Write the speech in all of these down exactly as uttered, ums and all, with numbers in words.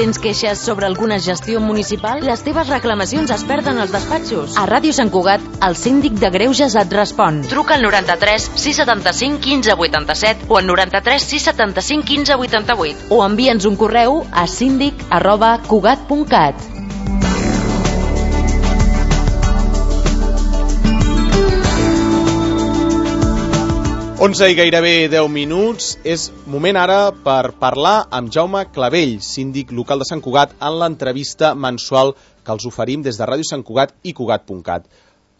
Tens queixes sobre alguna gestió municipal? Les teves reclamacions es perden als despatxos. A Ràdio Sant Cugat, el síndic de Greuges et respon. Truca al noranta-tres sis setanta-cinc quinze vuitanta-set o al noranta-tres sis setanta-cinc quinze vuitanta-vuit o envia'ns un correu a síndic arroba cugat punt cat. onze i gairebé deu minuts. És moment ara per parlar amb Jaume Clavell, síndic local de Sant Cugat, en l'entrevista mensual que els oferim des de Ràdio Sant Cugat i cugat punt cat.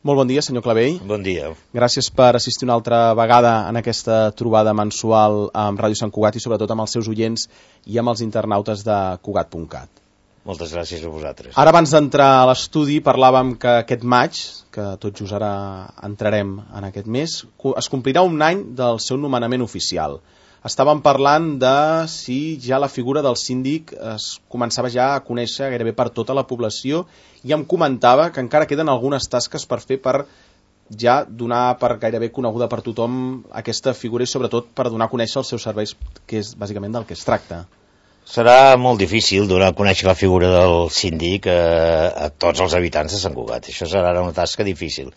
Molt bon dia, senyor Clavell. Bon dia. Gràcies per assistir una altra vegada en aquesta trobada mensual amb Ràdio Sant Cugat i sobretot amb els seus oients i amb els internautes de cugat punt cat. Moltes gràcies a vosaltres. Ara, abans d'entrar a l'estudi, parlàvem que aquest maig, que tot just ara entrarem en aquest mes, es complirà un any del seu nomenament oficial. Estàvem parlant de si ja la figura del síndic es començava ja a conèixer gairebé per tota la població i em comentava que encara queden algunes tasques per fer per ja donar per gairebé coneguda per tothom aquesta figura i sobretot per donar a conèixer els seus serveis, que és bàsicament del que es tracta. Serà molt difícil donar a conèixer la figura del síndic a, a tots els habitants de Sant Cugat. Això serà una tasca difícil.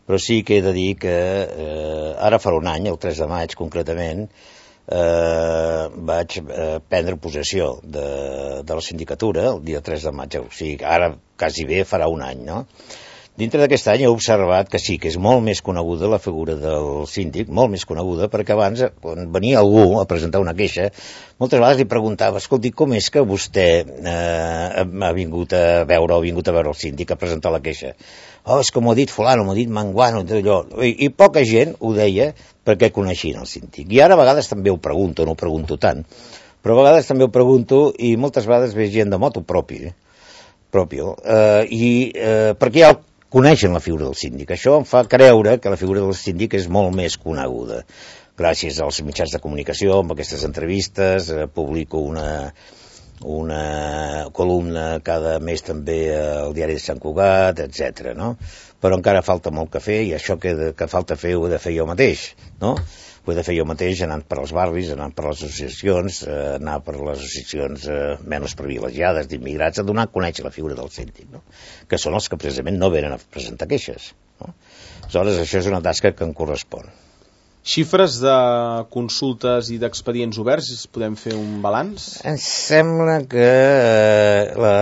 Però sí que he de dir que eh, ara farà un any, el tres de maig concretament, eh, vaig eh, prendre possessió de, de la sindicatura, el dia tres de maig. O sigui, ara quasi bé farà un any, no? Dintre d'aquest any he observat que sí, que és molt més coneguda la figura del síndic, molt més coneguda, perquè abans, quan venia algú a presentar una queixa, moltes vegades li preguntava, escolti, com és que vostè eh, ha vingut a veure o ha vingut a veure el síndic a presentar la queixa? Oh, és que m'ho ha dit fulano, m'ho ha dit manguano, allò. I, I poca gent ho deia perquè coneixien el síndic. I ara a vegades també ho pregunto, no ho pregunto tant, però a vegades també ho pregunto i moltes vegades ve gent de moto propi, eh? propio, eh, i eh, perquè hi ha coneixen la figura del síndic. Això em fa creure que la figura del síndic és molt més coneguda. Gràcies als mitjans de comunicació, amb aquestes entrevistes, eh, publico una, una columna cada mes també al diari de Sant Cugat, etcètera, no? Però encara falta molt que fer i això que, que falta fer ho he de fer jo mateix, no? Ho he de fer jo mateix anant per als barris, anant per les associacions, eh, anar per les associacions eh, menys privilegiades d'immigrats, a donar a conèixer la figura del síndic, no? Que són els que precisament no venen a presentar queixes, no? Aleshores, això és una tasca que em correspon. Xifres de consultes i d'expedients oberts, podem fer un balanç? Em sembla que eh, la,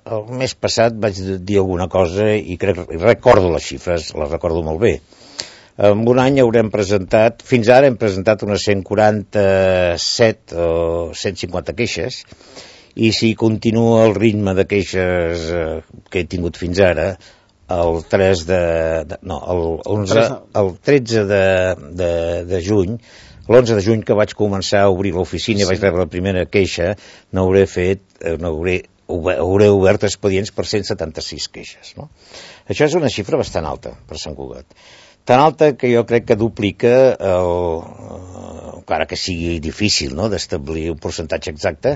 el mes passat vaig dir alguna cosa i crec, recordo les xifres, les recordo molt bé. En un any haurem presentat, fins ara hem presentat unes cent quaranta-set o cent cinquanta queixes, i si continua el ritme de queixes eh, que he tingut fins ara, el tres de, de no, el onze, el tretze de, de, de juny, l'onze de juny que vaig començar a obrir l'oficina i vaig rebre la primera queixa, n'hauré fet, n'hauré hauré obert expedients per cent setanta-sis queixes, no? Això és una xifra bastant alta per Sant Cugat. Tan alta que jo crec que duplica, el, encara que sigui difícil, no?, d'establir un percentatge exacte,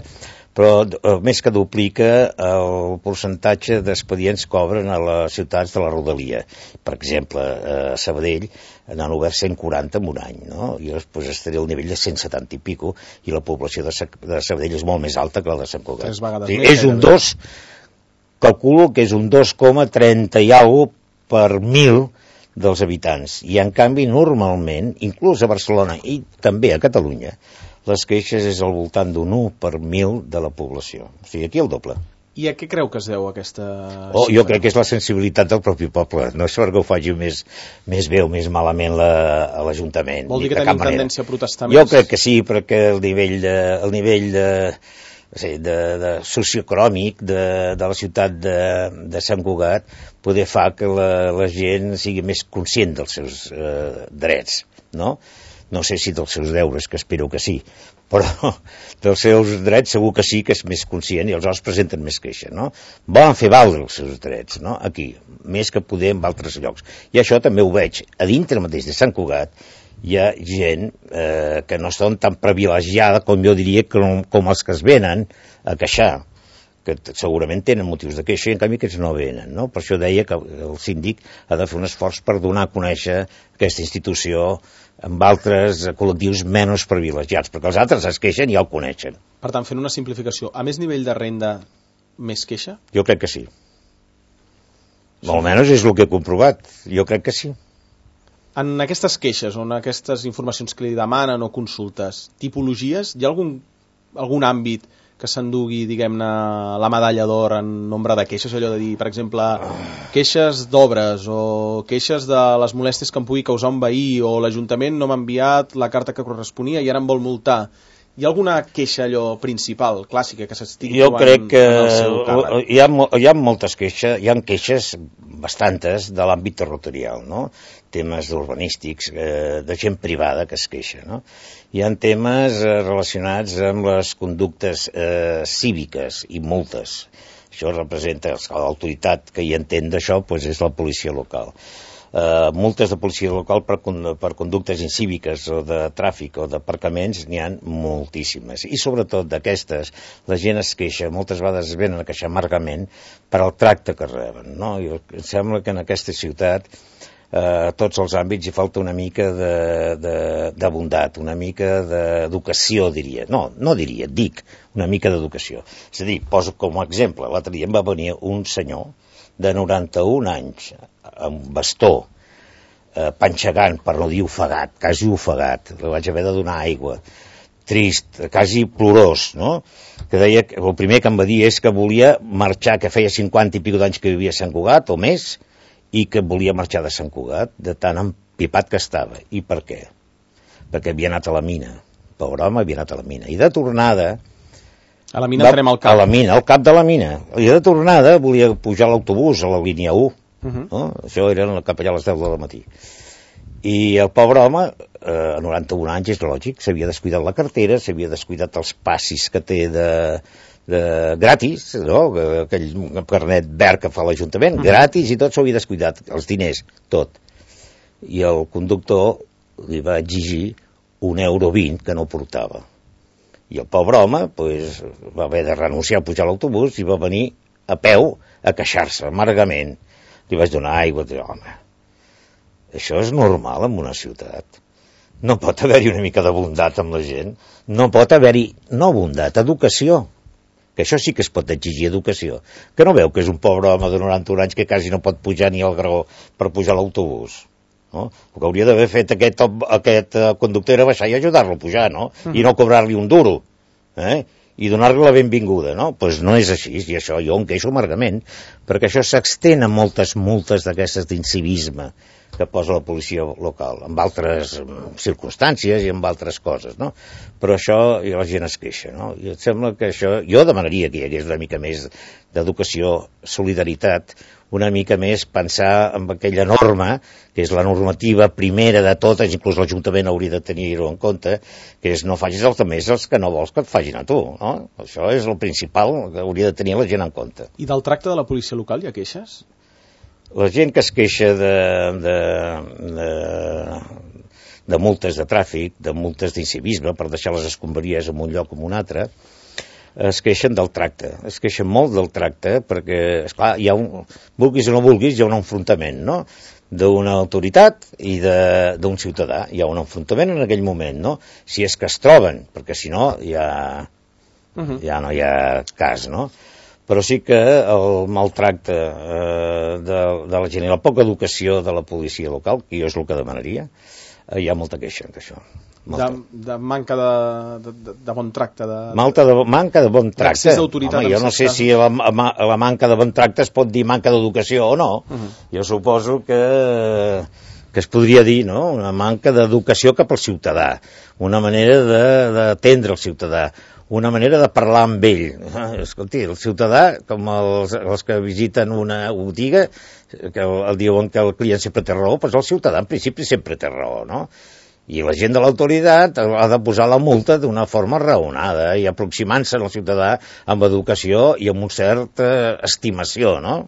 però més que duplica el percentatge d'expedients que obren a les ciutats de la rodalia. Per exemple, a Sabadell n'han obert cent quaranta en un any, no? I després estaré al nivell de cent setanta i pico, i la població de, de Sabadell és molt més alta que la de Sant Cugat. Tres vegades sí, més. És un dos, calculo que és un dos coma trenta i alguna per mil dels habitants, i en canvi normalment, inclús a Barcelona i també a Catalunya, les queixes és al voltant d'un u per mil de la població, o sigui, aquí el doble. I a què creu que es deu aquesta oh, jo crec que és la sensibilitat del propi poble, no és perquè ho faci més, més bé o més malament l'Ajuntament. Vol dir que tenim tendència a protestar més? Jo crec que sí, perquè el nivell de, el nivell de De, de socioeconòmic de, de la ciutat de, de Sant Cugat poder fa que la, la gent sigui més conscient dels seus eh, drets, no? No sé si dels seus deures, que espero que sí, però dels seus drets segur que sí que és més conscient i aleshores presenten més queixa, no? Volen fer valdre els seus drets, no? Aquí, més que poder en altres llocs. I això també ho veig a dintre mateix de Sant Cugat. Hi ha gent eh, que no estan tan privilegiada com jo diria com, com els que es venen a queixar, que segurament tenen motius de queixa i en canvi aquests no venen, no? Per això deia que el síndic ha de fer un esforç per donar a conèixer aquesta institució amb altres col·lectius menys privilegiats, perquè els altres es queixen i ja el coneixen. Per tant, fent una simplificació, a més nivell de renda, més queixa? Jo crec que sí. Sí. Almenys és el que he comprovat. Jo crec que sí. En aquestes queixes, o en aquestes informacions que li demanen o consultes, tipologies, hi ha algun, algun àmbit que s'endugui, diguem-ne, la medalla d'or en nombre de queixes, allò de dir, per exemple, queixes d'obres o queixes de les molèsties que em pugui causar un veí o l'Ajuntament no m'ha enviat la carta que corresponia i ara em vol multar. Hi ha alguna queixa allò principal, clàssica, que s'estigui trobant en el seu càrrec? Jo crec que hi ha, hi ha moltes queixes, hi ha queixes bastantes de l'àmbit territorial, no? Temes urbanístics, eh, de gent privada que es queixa, no? Hi ha temes eh, relacionats amb les conductes eh, cíviques i multes. Això representa, l'autoritat que hi entén d'això doncs és la policia local. Uh, multes de policia local per, per conductes incíviques o de tràfic o d'aparcaments n'hi ha moltíssimes, i sobretot d'aquestes la gent es queixa, moltes vegades venen a queixar amargament per al tracte que reben, no? I em sembla que en aquesta ciutat uh, a tots els àmbits hi falta una mica de, de, de bondat, una mica d'educació, diria, no, no diria, dic una mica d'educació. És a dir, poso com a exemple, l'altre dia em va venir un senyor de noranta-un anys, amb bastó, eh, panxegant, per no dir ofegat, quasi ofegat, li vaig haver de donar aigua, trist, quasi plorós, no? Que deia, que el primer que em va dir és que volia marxar, que feia cinquanta i pico d'anys que vivia a Sant Cugat, o més, i que volia marxar de Sant Cugat, de tan empipat que estava. I per què? Perquè havia anat a la mina. Pobre home, havia anat a la mina. I de tornada... A la mina va, farem el cap. A la mina, al cap de la mina. I de tornada volia pujar a l'autobús, a la línia u. Uh-huh. No? Això era cap allà a les deu del matí. I el pobre home, eh, a noranta-un anys, és lògic, s'havia descuidat la cartera, s'havia descuidat els passis que té de, de gratis, no? Aquell carnet verd que fa l'Ajuntament, uh-huh. gratis, i tot s'ho havia descuidat, els diners, tot. I el conductor li va exigir un euro vint que no portava. I el pobre home pues, va haver de renunciar a pujar a l'autobús i va venir a peu a queixar-se amargament. Li vaig donar aigua i dir, home, això és normal en una ciutat. No pot haver-hi una mica de bondat amb la gent. No pot haver-hi, no bondat, educació. Que això sí que es pot exigir, educació. Que no veu que és un pobre home de noranta-un anys que quasi no pot pujar ni al graó per pujar a l'autobús. No? El que hauria d'haver fet aquest, aquest conductor era baixar i ajudar-lo a pujar, no? Mm. I no cobrar-li un duro, eh? I donar-li la benvinguda, no? Doncs pues no és així, i això jo em queixo amargament, perquè això s'extén a moltes multes d'aquestes d'incivisme que posa la policia local, amb altres circumstàncies i amb altres coses, no? Però això, i la gent es queixa, no? I em sembla que això, jo demanaria que hi hagués una mica més d'educació, solidaritat, una mica més pensar en aquella norma, que és la normativa primera de totes, inclús l'Ajuntament hauria de tenir-ho en compte, que és no facis els altres els que no vols que et facin a tu, no? Això és el principal que hauria de tenir la gent en compte. I del tracte de la policia local hi ha queixes? La gent que es queixa de, de, de, de multes de tràfic, de multes d'incivisme, per deixar les escombraries en un lloc o en un altre, es queixen del tracte, es queixen molt del tracte, perquè, esclar, hi ha un, vulguis o no vulguis, hi ha un enfrontament, no?, d'una autoritat i d'un ciutadà. Hi ha un enfrontament en aquell moment, no?, si és que es troben, perquè si no, ja, uh-huh. ja no hi ha cas, no?, però sí que el maltracte eh, de, de la gent i la poca educació de la policia local, que jo és el que demanaria, eh, hi ha molta queixa d'això. De, de manca de, de, de bon tracte de, Malta de, manca de bon tracte. Home, jo no sé si la, la manca de bon tracte es pot dir manca d'educació o no. Uh-huh. Jo suposo que, que es podria dir, no?, una manca d'educació cap al ciutadà, una manera d'atendre el ciutadà, una manera de parlar amb ell. Escolti, el ciutadà, com els, els que visiten una botiga, que el, el diuen que el client sempre té raó, doncs el ciutadà en principi sempre té raó, no? I la gent de l'autoritat ha de posar la multa d'una forma raonada i aproximant-se al ciutadà amb educació i amb una certa estimació, no?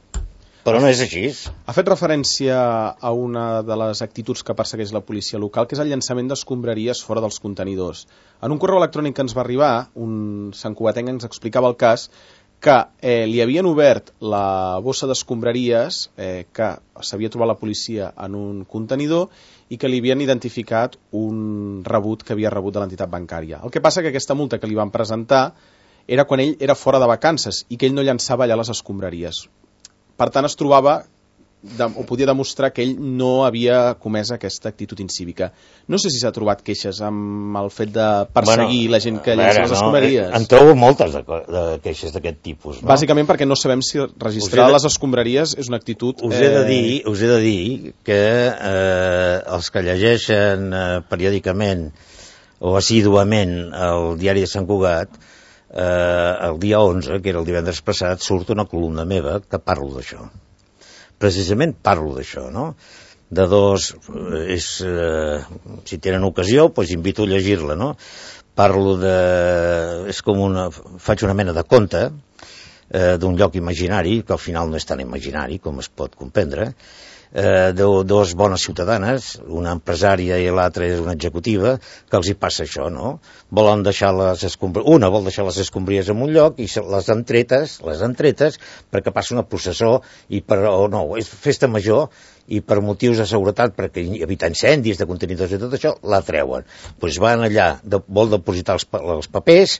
Però no és així. Ha fet referència a una de les actituds que persegueix la policia local, que és el llançament d'escombraries fora dels contenidors. En un correu electrònic que ens va arribar, un santcugatenc ens explicava el cas que eh, li havien obert la bossa d'escombraries eh, que s'havia trobat la policia en un contenidor i que li havien identificat un rebut que havia rebut de l'entitat bancària. El que passa que aquesta multa que li van presentar era quan ell era fora de vacances i que ell no llançava allà les escombraries. Per tant, es trobava de, o podia demostrar que ell no havia comès aquesta actitud incívica. No sé si s'ha trobat queixes amb el fet de perseguir bueno, la gent que llença les escombraries. No, en trobo moltes de, de queixes d'aquest tipus. No? Bàsicament perquè no sabem si registrar de... les escombraries és una actitud... Us he de dir, eh... us he de dir que eh, els que llegeixen eh, periòdicament o assíduament el diari de Sant Cugat, eh, el dia onze, que era el divendres passat, surt una columna meva que parlo d'això. Precisament parlo d'això, no? De dos, és, eh, si tenen ocasió, doncs invito a llegir-la, no? Parlo de... és com una... faig una mena de conte eh, d'un lloc imaginari, que al final no és tan imaginari, com es pot comprendre, eh, de dos bones ciutadanes, una empresària i l'altra és una executiva, que els hi passa això, no? Volen deixar les escombraries, una vol deixar les escombraries en un lloc i les han tretes, les han tretes perquè passa una processó i per, o no, és festa major i per motius de seguretat, perquè evitar incendis de contenidors i tot això, la treuen. Doncs van allà, de, vol depositar els, els papers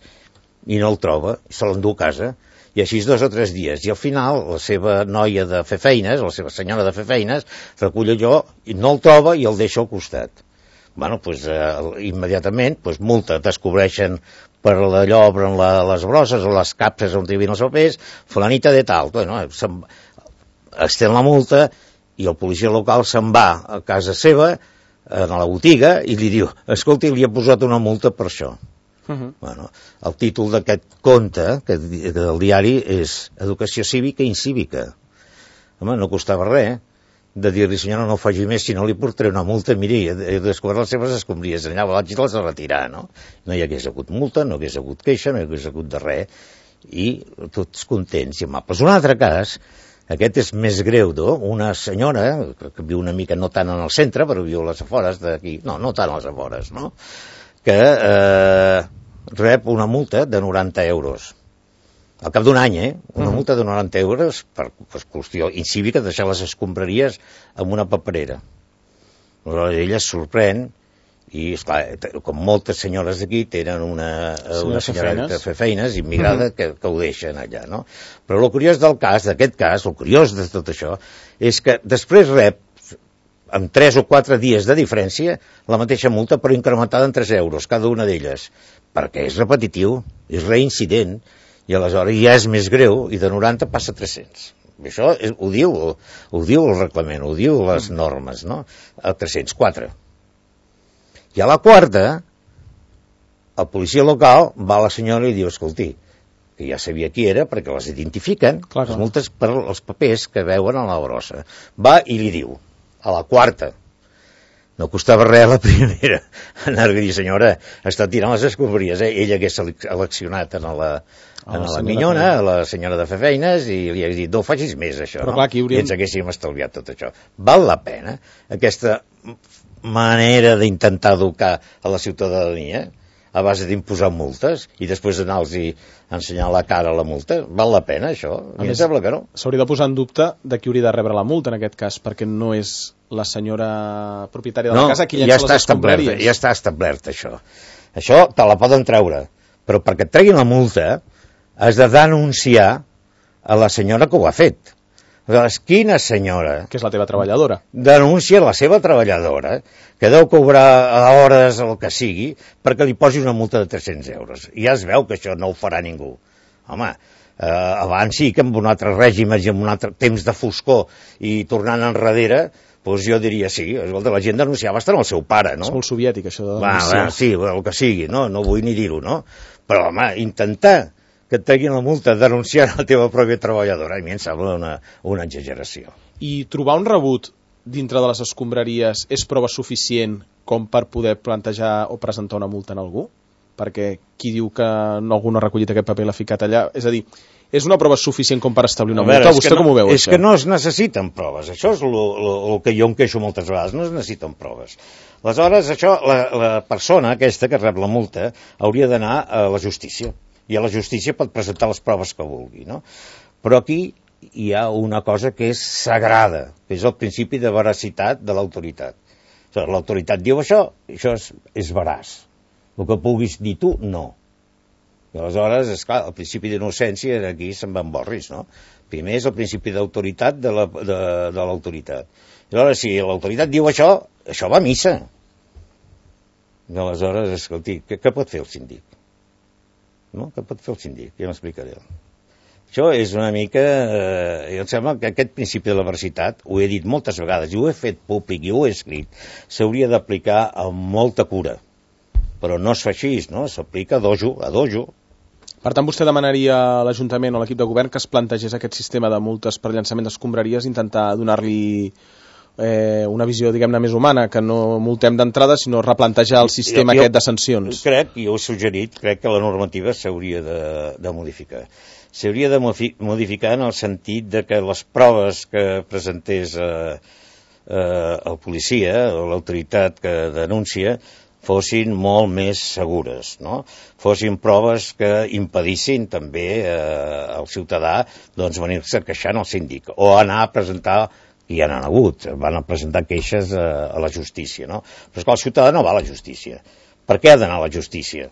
i no el troba, se l'endú a casa. I així dos o tres dies, i al final la seva noia de fer feines, la seva senyora de fer feines, recull allò i no el troba i el deixa al costat. Bueno, doncs eh, immediatament, doncs multa, descobreixen per allò obren la, les brosses o les capses on hi havia els papers, fulanita de tal, bueno, estén la multa i el policia local se'n va a casa seva, a la botiga, i li diu, escolti, li he posat una multa per això. Uh-huh. Bueno, el títol d'aquest conte que, del diari és Educació cívica i incívica. Home, no costava res de dir-li, senyora, no ho faci més, si no li portaré una multa, miri, he descobert les seves escombraries, allà vaig les a retirar, no? No hi hagués hagut multa, no hagués hagut queixa, no hi hagués hagut de res, i tots contents i amables. Un altre cas, aquest és més greu, no? Una senyora, que viu una mica, no tant en el centre, però viu a les afores d'aquí, no, no tant a les afores, no? Que eh, rep una multa de noranta euros. Al cap d'un any, eh? Una uh-huh. multa de noranta euros per, per qüestió incívica de deixar les escombraries en una paperera. Aleshores, ella es sorprèn i, esclar, com moltes senyores d'aquí tenen una, una senyora de fer feines immigrada uh-huh. que, que ho deixen allà, no? Però el curiós del cas, d'aquest cas, el curiós de tot això, és que després rep amb tres o quatre dies de diferència, la mateixa multa, però incrementada en tres euros, cada una d'elles, perquè és repetitiu, és reincident, i aleshores ja és més greu, i de noranta passa a tres-cents. I això és, ho diu, ho diu el reglament, ho diu les normes, no? A tres-cents quatre. I a la quarta, el policia local va a la senyora i diu, escolti, que ja sabia qui era, perquè les identifiquen, clar, les multes per els papers que veuen a la brossa. Va i li diu, a la quarta, no costava res a la primera, anar a dir, senyora, està tirant les escombraries, eh? Ella hagués seleccionat en la, en la minyona, a la senyora de fer feines, i li hagués dit, no ho facis més, això, no? Clar, hauríem... I ens haguéssim estalviat tot això. Val la pena aquesta manera d'intentar educar a la ciutadania, a base d'imposar multes i després anar-los i ensenyar la cara a la multa? Val la pena, això? A mi em sembla que no. S'hauria de posar en dubte de qui hauria de rebre la multa, en aquest cas, perquè no és la senyora propietària de la no, casa qui llença ja les escombraries. Ja està establert, això. Això te la poden treure, però perquè et treguin la multa has de denunciar a la senyora que ho ha fet. Aleshores, quina senyora... Que és la teva treballadora. Denuncia la seva treballadora, que deu cobrar a hores el que sigui, perquè li posi una multa de tres-cents euros. I ja es veu que això no ho farà ningú. Home, eh, abans sí que amb un altre règim i amb un altre temps de foscor i tornant enrere, doncs jo diria sí, escolta, la gent denunciava estar amb el seu pare, no? És molt soviètic, això de denunciar. Va, va, sí, el que sigui, no, no vull ni dir-ho, no? Però, home, intentar que et treguin la multa denunciant la teva pròpia treballadora, a mi em sembla una, una exageració. I trobar un rebut dintre de les escombraries és prova suficient com per poder plantejar o presentar una multa en algú? Perquè qui diu que algú no ha recollit aquest paper i l'ha ficat allà? És a dir, és una prova suficient com per establir una multa? Vostè com ho veu, això? És que no es necessiten proves. Això és el que jo em queixo moltes vegades. No es necessiten proves. Aleshores, això, la, la persona aquesta que rep la multa hauria d'anar a la justícia i a la justícia pot presentar les proves que vulgui, no? Però aquí hi ha una cosa que és sagrada, que és el principi de veracitat de l'autoritat. O sigui, l'autoritat diu això, això és, és veraç. El que puguis dir tu, no. I aleshores, esclar, el principi d'innocència aquí se'n va en borris, no? Primer és el principi d'autoritat de l'autoritat. I aleshores, si l'autoritat diu això, això va a missa. I aleshores, escolti, què, què pot fer el síndic? No? Què pot fer el síndic? Ja m'explicaré. Això és una mica... Eh, em sembla que aquest principi de la veracitat, ho he dit moltes vegades, i ho he fet públic, i ho he escrit, s'hauria d'aplicar amb molta cura. Però no es fa així, no? S'aplica a dojo, a dojo. Per tant, vostè demanaria a l'Ajuntament o a l'equip de govern que es plantegés aquest sistema de multes per llançament d'escombraries, intentar donar-li eh, una visió, diguem-ne, més humana, que no multem d'entrada, sinó replantejar el sistema jo, aquest de sancions. Crec, i ho he suggerit, crec que la normativa s'hauria de, de modificar. S'hauria de modificar en el sentit de que les proves que presentés eh, eh, el policia o l'autoritat que denuncia fossin molt més segures, no? Fossin proves que impedissin també eh, al ciutadà doncs, venir-se queixant al síndic o anar a presentar, i ja n'han hagut, van a presentar queixes a, a la justícia, no? Però és que el ciutadà no va a la justícia. Per què ha d'anar a la justícia?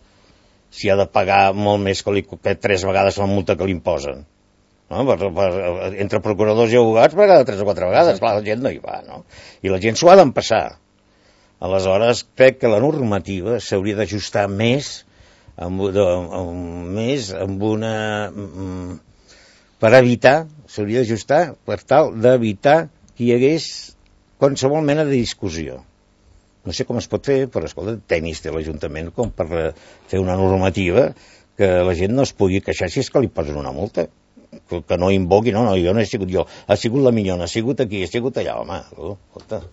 Si ha de pagar molt més que, li, que tres vegades la multa que li imposen. No? Per, per, entre procuradors i abogats paga tres o quatre vegades, clar, la gent no hi va, no? I la gent s'ho ha d'empassar. Aleshores, crec que la normativa s'hauria d'ajustar més amb, de, amb, més amb una... per evitar, s'hauria d'ajustar per tal d'evitar que hi hagués qualsevol mena de discussió. No sé com es pot fer, però escolta, tenis té l'Ajuntament com per fer una normativa que la gent no es pugui queixar si és que li posen una multa. Que, que no invoqui, no, no, jo no he sigut jo, ha sigut la Minyona, ha sigut aquí, ha sigut allà, home, escolta.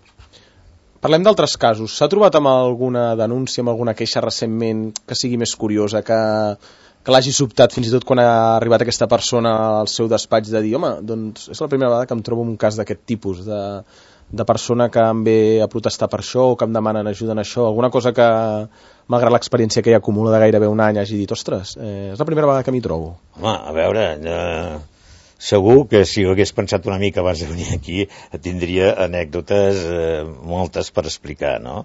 Parlem d'altres casos. S'ha trobat amb alguna denúncia, amb alguna queixa recentment que sigui més curiosa, que, que l'hagi sobtat fins i tot quan ha arribat aquesta persona al seu despatx de dir, home, doncs és la primera vegada que em trobo un cas d'aquest tipus, de, de persona que em ve a protestar per això o que em demanen ajuda en això, alguna cosa que, malgrat l'experiència que hi acumula de gairebé un any, hagi dit, ostres, eh, és la primera vegada que m'hi trobo. Home, a veure... Eh... Segur que si ho hagués pensat una mica abans de venir aquí tindria anècdotes eh, moltes per explicar, no?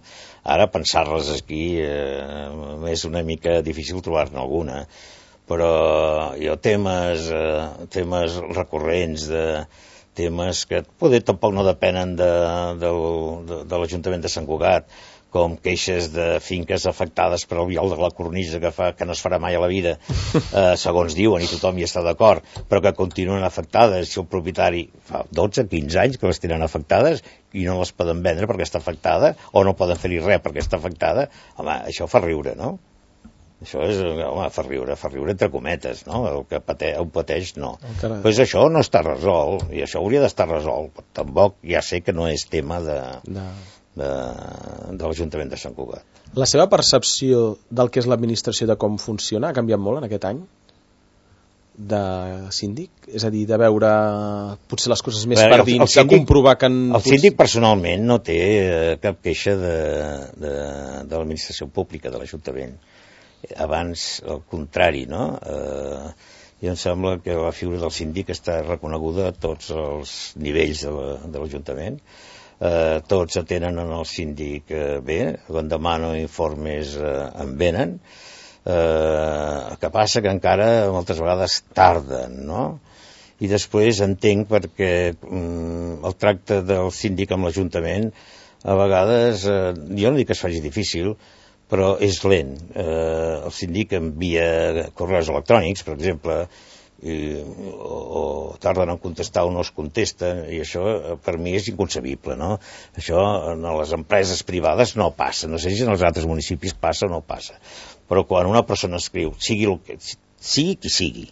Ara pensar-les aquí eh, és una mica difícil trobar-ne alguna, però hi ha temes, eh, temes recurrents, de, temes que poder tampoc no depenen de, de, de, de l'Ajuntament de Sant Cugat, com queixes de finques afectades per el viol de la cornisa que, fa, que no es farà mai a la vida, eh, segons diuen, i tothom hi està d'acord, però que continuen afectades. Si el propietari fa dotze a quinze anys que les tenen afectades i no les poden vendre perquè està afectada, o no poden fer-hi res perquè està afectada, home, això fa riure, no? Això és, home, fa riure, fa riure entre cometes, no? El que pateix, ho pateix, no. Doncs pues això no està resolt, i això hauria d'estar resolt. Tampoc ja sé que no és tema de... de... de, de l'Ajuntament de Sant Cugat. La seva percepció del que és l'administració, de com funciona, ha canviat molt en aquest any de síndic? És a dir, de veure potser les coses més veure, per dins, de comprovar que... En... El síndic personalment no té eh, cap queixa de, de, de l'administració pública, de l'Ajuntament. Abans, al contrari, no? Eh, i em sembla que la figura del síndic està reconeguda a tots els nivells de l'Ajuntament. Eh, tots atenen en el síndic eh, bé, quan demano informes eh, en venen, eh, el que passa que encara moltes vegades tarden, no? I després entenc perquè mm, el tracte del síndic amb l'Ajuntament a vegades, eh, jo no dic que es faci difícil, però és lent. Eh, el síndic envia correus electrònics, per exemple, i, o, o tarden en contestar o no es contesten, i això per mi és inconcebible, no? Això en les empreses privades no passa, no sé si en els altres municipis passa o no passa, però quan una persona escriu, sigui, el que, sigui qui sigui,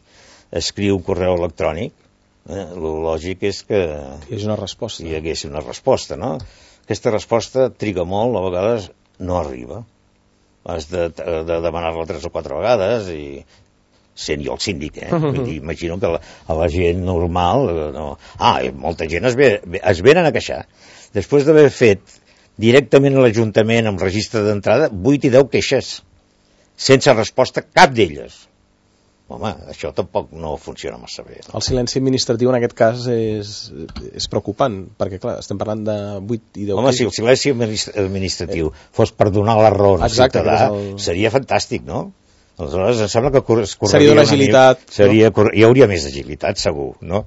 escriu un correu electrònic, eh, el lògic és que hi hagi una resposta. Hi hagués una resposta, no? Aquesta resposta triga molt, a vegades no arriba, has de, de demanar-la tres o quatre vegades, i sent jo el síndic, eh? Uh-huh. Vull dir, imagino que la, a la gent normal... No... Ah, molta gent es, ve, es venen a queixar. Després d'haver fet directament a l'Ajuntament amb registre d'entrada vuit i deu queixes, sense resposta cap d'elles. home, això tampoc no funciona massa bé. El silenci administratiu en aquest cas és, és preocupant, perquè clar, estem parlant de vuit i deu... Home, si el silenci administratiu eh. fos per donar la raó al ciutadà, el... seria fantàstic, no? Aleshores, em sembla que es correria... Seria d'una agilitat... Seria, no? Hi hauria més agilitat, segur, no?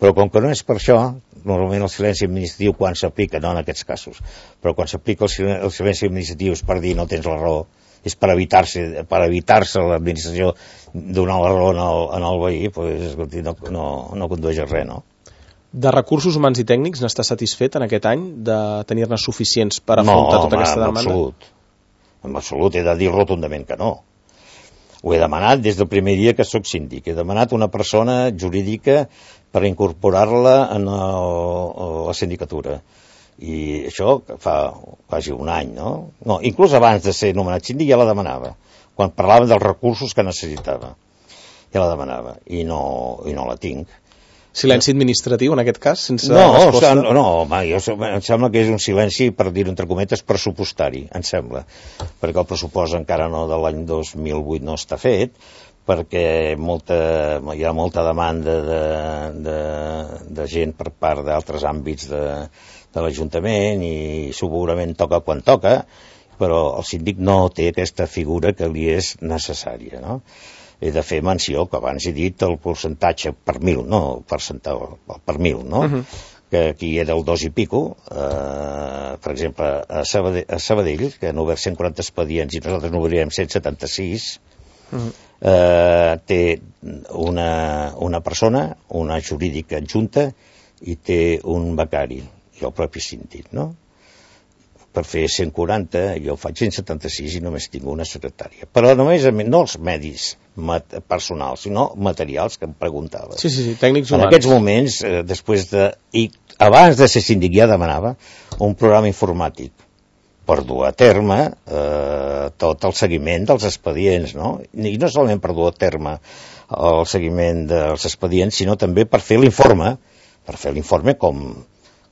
Però com que no és per això, normalment el silenci administratiu quan s'aplica, no en aquests casos, però quan s'aplica el, silen el silenci administratiu és per dir no tens la raó, és per evitar-se per evitar-se l'administració donar la raó en el, en el veí, pues, no, no, no condueix a res, no? De recursos humans i tècnics n'està satisfet en aquest any de tenir-ne suficients per afrontar no, tota home, aquesta demanda? No, en absolut. En absolut, he de dir rotundament que no. Ho he demanat des del primer dia que sóc síndic. He demanat una persona jurídica per incorporar-la en el, la sindicatura. I això fa quasi un any, no? No, inclús abans de ser nomenat síndic ja la demanava. Quan parlava dels recursos que necessitava. Ja la demanava. I no, i no la tinc. Silenci administratiu, en aquest cas, sense no, resposta? No, no, home, jo, em sembla que és un silenci, per dir-ho entre cometes, pressupostari, em sembla. Perquè el pressupost encara no de l'any dos mil vuit no està fet, perquè molta, hi ha molta demanda de, de, de gent per part d'altres àmbits de, de l'Ajuntament i segurament toca quan toca, però el síndic no té aquesta figura que li és necessària, no? He de fer menció, que abans he dit el percentatge per mil, no, percentatge per mil, no? Uh-huh. Que aquí era el dos i pico, eh, per exemple, a Sabadell, a Sabadell, que han obert cent quaranta expedients i nosaltres n'obrirem cent setanta-sis, uh-huh. eh, té una, una persona, una jurídica adjunta, i té un becari, i el propi síndic, no? Per fer cent quaranta, jo faig cent setanta-sis i només tinc una secretària. Però només, no els medis personals, sinó materials, que em preguntava. Sí, sí, sí, tècnics humans. En aquests moments, eh, després de... I abans de ser síndic ja demanava un programa informàtic per dur a terme eh, tot el seguiment dels expedients, no? I no solament per dur a terme el seguiment dels expedients, sinó també per fer l'informe, per fer l'informe com...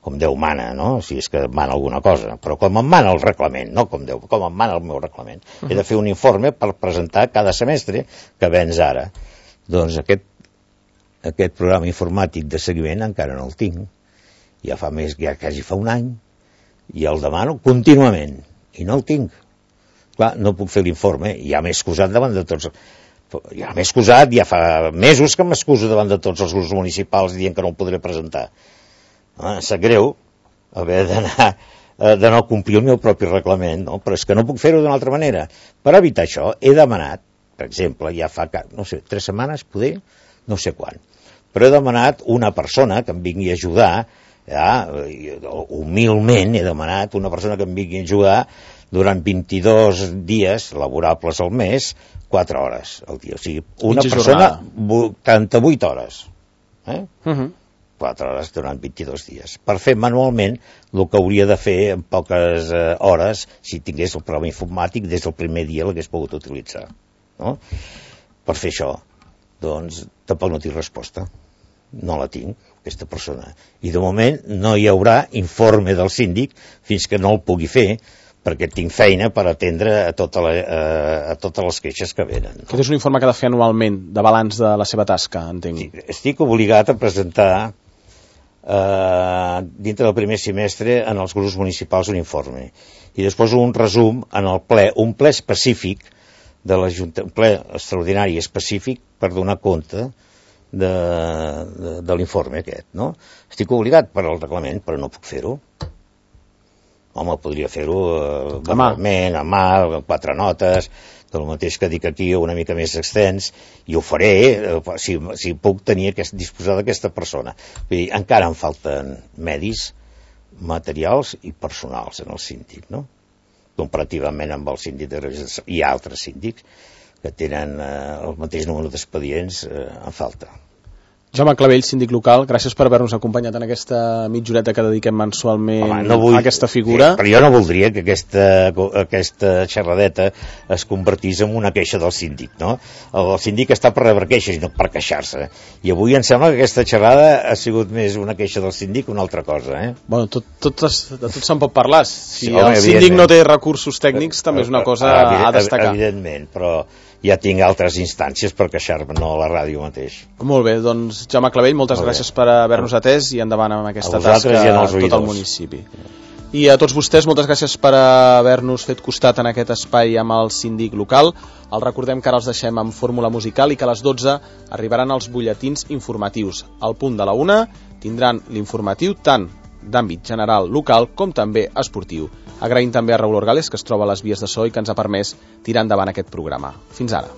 com Déu mana, no? Si és que mana alguna cosa, però com em mana el reglament, no com Déu, com em mana el meu reglament. Uh-huh. He de fer un informe per presentar cada semestre que vens ara. Doncs aquest, aquest programa informàtic de seguiment encara no el tinc. Ja fa més, ja quasi fa un any, i el demano contínuament, i no el tinc. Clar, no puc fer l'informe, ja m'he excusat davant de tots... Ja m'he excusat, ja fa mesos que m'excuso davant de tots els grups municipals dient que no el podré presentar. Ah, sap greu haver d'anar de no complir el meu propi reglament, no? Però és que no puc fer-ho d'una altra manera. Per evitar això he demanat, per exemple, ja fa, no sé, tres setmanes, poder, no sé quan, però he demanat una persona que em vingui a ajudar, ja, humilment he demanat una persona que em vingui a ajudar durant vint-i-dos dies laborables al mes, quatre hores al dia. O sigui, una Mitja persona, vuitanta-vuit hores. Eh? Uh-huh. quatre hores durant vint-i-dos dies, per fer manualment el que hauria de fer en poques eh, hores si tingués el programa informàtic des del primer dia l'hagués pogut utilitzar, no? Per fer això, doncs tampoc no tinc resposta, no la tinc, aquesta persona, i de moment no hi haurà informe del síndic fins que no el pugui fer, perquè tinc feina per atendre a, tota la, a totes les queixes que venen. Aquest és un informe que ha de fer anualment, de balanç de la seva tasca, entenc. Sí, estic obligat a presentar Uh, dintre del primer semestre en els grups municipals un informe i després un resum en el ple, un ple específic de la Junta, un ple extraordinari específic per donar compte de, de, de l'informe aquest, no? Estic obligat per al reglament, però no puc fer-ho. Home, podria fer-ho uh, verbalment, a mà, amb quatre notes, del mateix que dic aquí, una mica més extens, i ho faré eh, si, si puc tenir aquest, disposar d'aquesta persona. Vull dir, encara em falten medis, materials i personals en el síndic, no? Comparativament amb el síndic de Greuges i altres síndics que tenen eh, el mateix número d'expedients, eh, en falta. Jaume Clavell, síndic local, gràcies per haver-nos acompanyat en aquesta mitjoreta que dediquem mensualment Home, no vull, a aquesta figura. Sí, però jo no voldria que aquesta, aquesta xerradeta es convertís en una queixa del síndic, no? El síndic està per rebre queixes i no per queixar-se. I avui em sembla que aquesta xerrada ha sigut més una queixa del síndic que una altra cosa, eh? Bueno, tot, tot es, de tot se'n pot parlar. Si sí, home, el síndic no té recursos tècnics, també és una cosa a destacar. Evidentment, però ja tinc altres instàncies per queixar-me, no a la ràdio mateix. Molt bé, doncs Jaume Clavell, moltes Molt gràcies per haver-nos atès i endavant amb aquesta tasca i a tot el municipi. I a tots vostès, moltes gràcies per haver-nos fet costat en aquest espai amb el síndic local. Els recordem que ara els deixem amb fórmula musical i que a les dotze arribaran els butlletins informatius. Al punt de la una tindran l'informatiu tant d'àmbit general local com també esportiu. Agraïm també a Raül Orgales, que es troba a les vies de so i que ens ha permès tirar endavant aquest programa. Fins ara.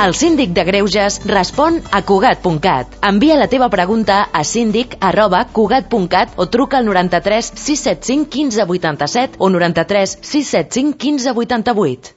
El síndic de Greuges respon a Cugat punt cat. Envia la teva pregunta a síndic arroba cugat punt cat o truca al noranta-tres sis set cinc quinze vuitanta-set o noranta-tres sis set cinc quinze vuitanta-vuit.